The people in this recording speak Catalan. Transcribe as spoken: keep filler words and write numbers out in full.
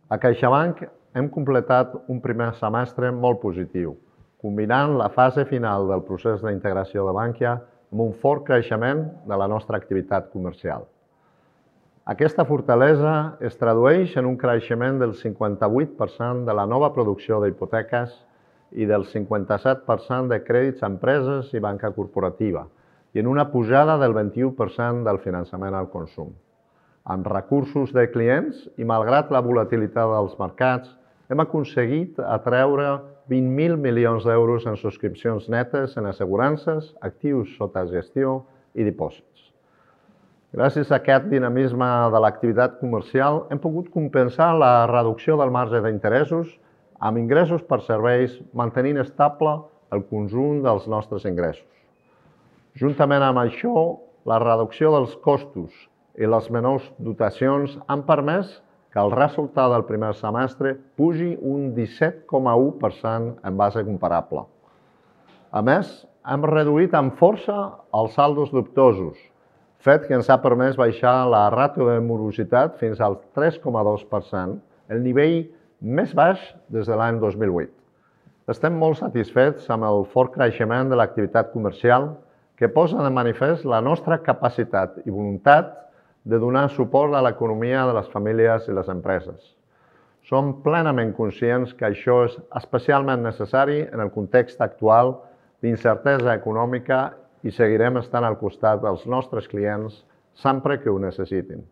A CaixaBank hem completat un primer semestre molt positiu, combinant la fase final del procés d'integració de Bankia amb un fort creixement de la nostra activitat comercial. Aquesta fortalesa es tradueix en un creixement del cinquanta-vuit per cent de la nova producció d'hipoteques i del cinquanta-set per cent de crèdits a empreses i banca corporativa i en una pujada del vint-i-u per cent del finançament al consum. Amb recursos de clients i malgrat la volatilitat dels mercats, hem aconseguit atreure vint mil milions d'euros en subscripcions netes en assegurances, actius sota gestió i dipòsits. Gràcies a aquest dinamisme de l'activitat comercial, hem pogut compensar la reducció del marge d'interessos amb ingressos per serveis, mantenint estable el conjunt dels nostres ingressos. Juntament amb això, la reducció dels costos i les menors dotacions han permès que el resultat del primer semestre pugi un disset coma u per cent en base comparable. A més, hem reduït amb força els saldos dubtosos, fet que ens ha permès baixar la ràtio de morositat fins al tres coma dos per cent, el nivell més baix des de l'any dos mil vuit. Estem molt satisfets amb el fort creixement de l'activitat comercial que posa de manifest la nostra capacitat i voluntat de donar suport a l'economia de les famílies i les empreses. Som plenament conscients que això és especialment necessari en el context actual d'incertesa econòmica i seguirem estant al costat dels nostres clients sempre que ho necessitin.